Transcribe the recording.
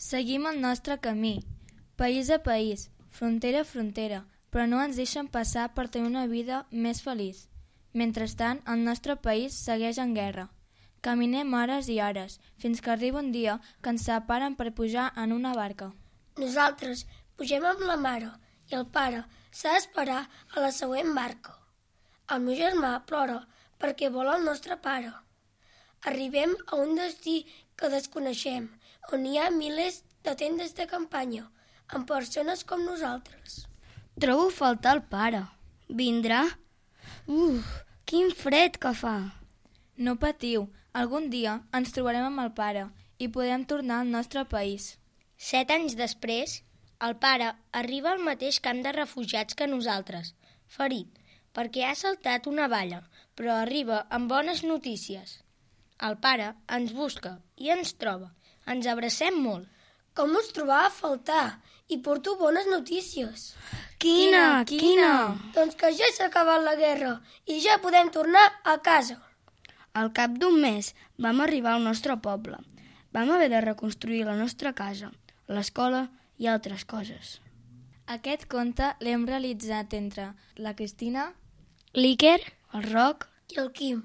Seguim el nostre camí, país a país, frontera a frontera, però no ens deixen passar per tenir una vida més feliç. Mentrestant, el nostre país segueix en guerra. Caminem hores i hores, fins que arriba un dia que ens separen per pujar en una barca. Nosaltres pugem amb la mare i el pare s'ha d'esperar a la següent barca. El meu germà plora perquè vol el nostre pare. Arribem a un destí que desconeixem, on hi ha milers de tendes de campanya, amb persones com nosaltres. Trobo a faltar el pare. Vindrà? Quin fred que fa! No patiu, algun dia ens trobarem amb el pare i podrem tornar al nostre país. 7 anys després, el pare arriba al mateix camp de refugiats que nosaltres, ferit, perquè ha saltat una valla, però arriba amb bones notícies. El pare ens busca i ens troba. Ens abracem molt. Com us trobava a faltar? I porto bones notícies. Quina? Doncs que ja s'ha acabat la guerra i ja podem tornar a casa. Al cap d'un mes vam arribar al nostre poble. Vam haver de reconstruir la nostra casa, l'escola i altres coses. Aquest conte l'hem realitzat entre la Cristina, l'Iker, el Roc I el Quim.